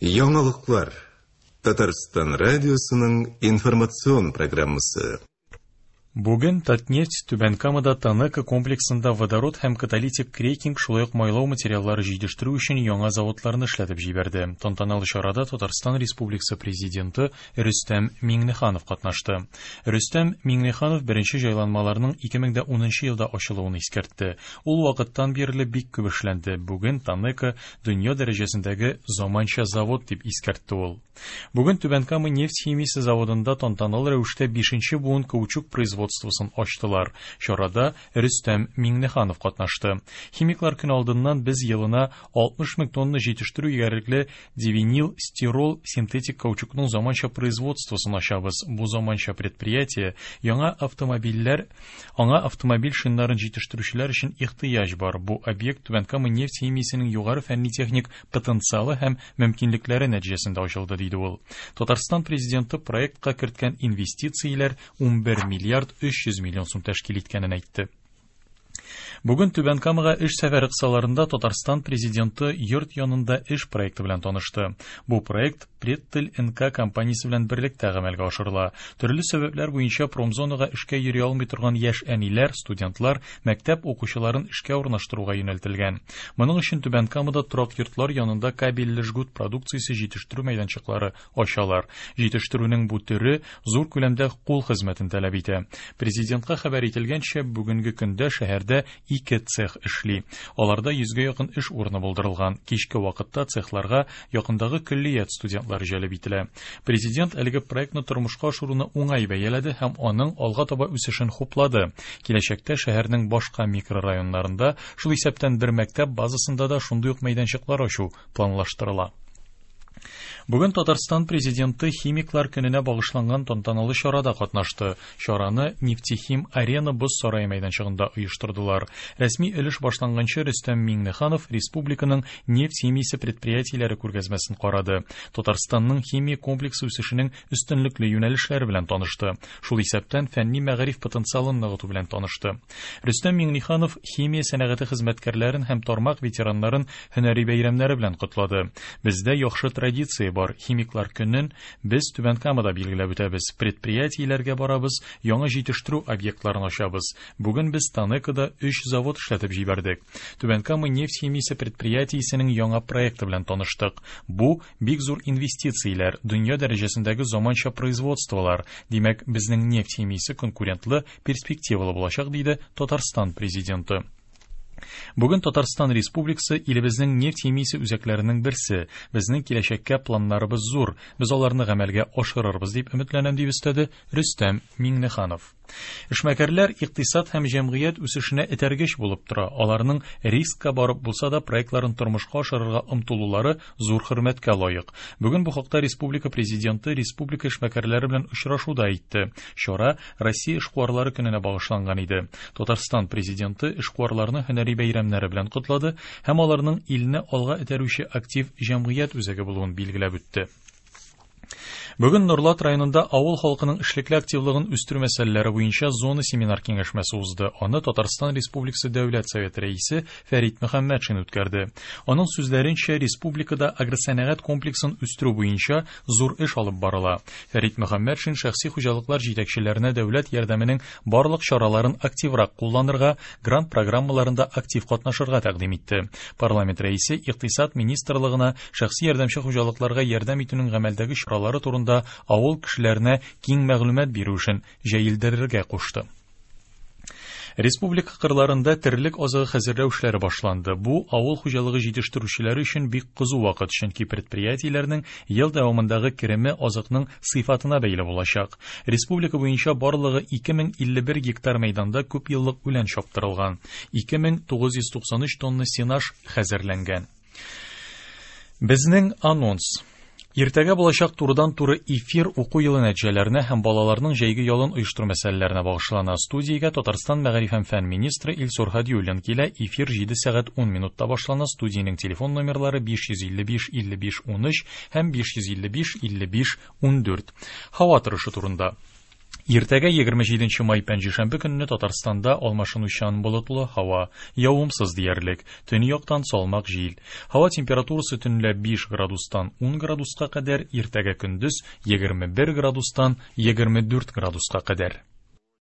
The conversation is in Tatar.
Яңалыклар. Татарстан радиосының информацион программасы. Бүген Татнефть Түбән Камада ТАНЕКО комплексында водород һәм каталитик крекинг, шулай ук майлау материаллары җитештерү өчен яңа заводларны эшләтеп җибәрде. Тантаналы чарада Татарстан Республикасы Президенты Рөстәм Миңнеханов катнашты. Рөстәм Миңнеханов беренче җайланмаларның 2010 елда ачылуын искәртте. Ул вакыттан бирле бик күп эшләнде. Бүген ТАНЕКО дөнья дәрәҗәсендәге заманча завод, дип искәртте ул. Бүген Түбән Кама нефть химиясе заводында тантаналы рәвештә бишенче буын каучук производствосын ачтылар. Чарада Рөстәм Миңнеханов катнашты. Химиклар көне алдыннан без елына 60 мең тонна җитештерү егәрлекле дивинил стирол синтетик каучукның заманча производствосын ачабыз. Бу заманча предприятие яңа автомобильләр, аңа автомобиль шиннарын җитештерүчеләр өчен ихтыяҗ бар. Бу объект Түбән Кама нефть химиясенең югары фәнни-техник потенциалы һәм мөмкинлекләре нәтиҗәсендә ачылды, диде ул. Татарстан Президенты проектка керткән инвестицияләр 11 миллиард 300 миллион сум тәшкил иткәнен әйтте. Бүген Түбән Камага эш сәфәре кысаларында Татарстан Президенты йорт янында эш проекты белән танышты. Бу проект Преттель НК компаниясе белән берлектә гамәлгә ашырыла. Төрле сәбәпләр буенча промзонага эшкә йөри алмый торган яшь әниләр, студентлар, мәктәп укучыларын эшкә урнаштыруга юнәлтелгән. Моның өчен Түбән Камада торак йортлар янында кабельле жгут продукциясе җитештерү мәйданчыклары ачалар. Җитештерүнең бу төре зур күләмдә кул хезмәтен таләп итә. Президентка хәбәр ителгәнчә, бүгенге көндә шәһәрдә ике цех эшли. Аларда йөзгә якын эш урыны булдырылган. Кичке вакытта цехларга якындагы көллият студентлары җәлеп ителә. Президент әлеге проектны тормышка ашыруны уңай бәяләде һәм аның алга таба үсешен хуплады. Киләчәктә шәһәрнең башка микрорайоннарында, шул исәптән бер мәктәп базасында да шундый ук мәйданчыклар ачу планлаштырыла. Бүген Татарстан Президенты Химиклар көненә багышланган тантаналы чарада катнашты. Чараны Нефтехим Арена боз сарае мәйданчыгында оештырдылар. Рәсми өлеш башланганчы Рөстәм Миңнеханов республиканың нефть химиясе предприятиеләре күргәзмәсен карады. Татарстанның химия комплексы үсешенең өстенлекле юнәлешләре белән танышты. Шул исәптән фәнни-мәгариф потенциалын ныгыту белән танышты. Рөстәм Миңнеханов химия сәнәгате хезмәткәрләрен һәм тармак ветераннарын һөнәри бәйрәмнәре белән котлады. Бездә яхшы традиция бар. Химиклар көнен без Түбән Камада билгеләп үтәбез. Предприятиеләргә барабыз, яңа җитештерү объектларын ачабыз. Бүген без ТАНЕКОда өч завод эшләтеп җибәрдек. Түбән Кама нефть химиясе предприятиесенең яңа проекты белән таныштык. Бу бик зур инвестицияләр, дөнья дәрәҗәсендәге заманча производстволар. Димәк, безнең нефть химиясе конкурентлы, перспективалы булачак, диде Татарстан Президенты. Бүген Татарстан Республикасы илебезнең нефть химиясе үзәкләренең берсе. Безнең киләчәккә планнарыбыз зур. Без аларны гамәлгә ашырырбыз дип өметләнәм, дип өстәде Рөстәм Миңнеханов. Эшмәкәрләр икътисад һәм җәмгыять үсешенә этәргеч булып тора. Аларның рискка барып булса да проектларын тормышка ашырырга омтылулары зур хөрмәткә лаек. Бүген бу хакта республика Президенты республика эшмәкәрләре белән очрашуда әйтте. Чара Россия эшкуарлары көненә багышланган иде. Татарстан Президенты эшкуарларны һөнәри бәйрәмнәре белән котлады һәм аларның илне алга этәрүче актив җәмгыять үзәге булуын билгеләп үтте. Бүген Нурлат районында авыл халкының эшлекле активлыгын үстерү мәсьәләләре буенча зона семинар киңәшмәсе узды. Аны Татарстан Республикасы Дәүләт Советы рәисе Фәрит Мөхәммәтшин үткәрде. Аның сүзләренчә, республикада агросәнәгать комплексын үстерү буенча зур эш алып барыла. Фәрит Мөхәммәтшин шәхси хуҗалыклар җитәкчеләренә дәүләт ярдәменең барлык чараларын активрак кулланырга, грант программаларында актив катнашырга тәкъдим итте. Парламент рәисе Икътисад министрлыгына шәхси ярдәмче хуҗалыкларга ярдәм итүнең гамәлдәге чаралары турында авыл кешеләренә киң мәгълүмат бирү эшен җәелдерергә кушты. Республика кырларында терлек азыгы хәзерләү эшләре башланды. Бу авыл хуҗалыгы җитештерүчеләре өчен бик кызу вакыт, чөнки предприятиеләрнең ел дәвамындагы кереме азыкның сыйфатына бәйле булачак. Республика буенча барлыгы 2051 гектар мәйданда күпьеллык үлән чаптырылган. 2993 тонна сенаж хәзерләнгән. Безнең анонс. Иртәгә булачак турыдан-туры эфир уку елы нәтиҗәләренә һәм балаларның җәйге ялын оештыру мәсьәләләренә багышлана. Студиягә Татарстан мәгариф һәм фән министры Илсур Һадиуллин килә. Эфир 7 сәгать 10 минутта башлана. Студиянең телефон номерлары 555 55 13 һәм 555 55 14. Һава торышы турында. Иртәгә 27 май пәнҗешәмбе көнне Татарстанда алмашынучан болытлы һава, явымсыз диярлек, төньяктан салмак җил. Һава температурасы төнлә 5 градустан 10 градуска кадәр, иртәгә көндез 21 градустан 24 градуска кадәр.